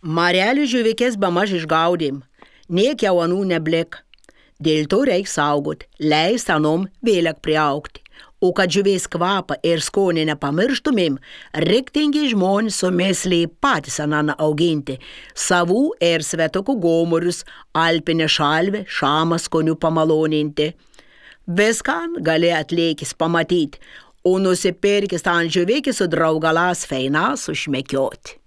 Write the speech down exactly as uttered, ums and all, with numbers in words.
Marelių žuvikės bemaž išgaudėm, niek jau anų neblik. Dėl to reik saugot, leist anom vėlek priaugti. O kad žuvies kvapą ir skonį nepamirštumėm, riktingi žmonės su mėsliai patys ananą auginti, savų ir svetokų gomurius, alpinę šalvę, šamą skonių pamaloninti. Viskan gali atleikis pamatyti, o nusipirkis ant žuvikį su draugalas feinas užmekioti.